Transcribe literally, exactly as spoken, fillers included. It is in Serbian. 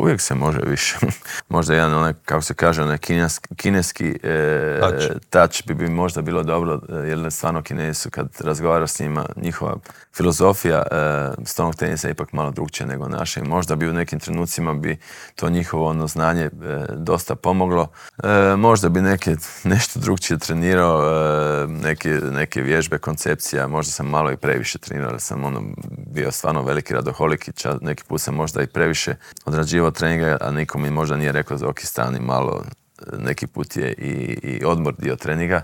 uvijek se može više. Možda jedan onaj, kako se kaže, onaj kineski, kineski e, touch. touch bi, bi možda bilo dobro, jer stvarno Kinezi su, kad razgovaraš s njima, njihova filozofija e, stolnog tenisa je ipak malo drugčija nego naša. I možda bi u nekim trenucima bi to njihovo ono znanje e, dosta pomoglo. E, možda bi neke, nešto drugčije trenirao, e, neke, neke vježbe, koncepcija. Možda sam malo i previše trenirao, jer sam ono, bio stvarno veliki radoholik i čas, neki put sam možda i previše odrađivao treninga, a niko mi možda nije rekao za ok, stani malo, neki put je i, i odmor dio treninga.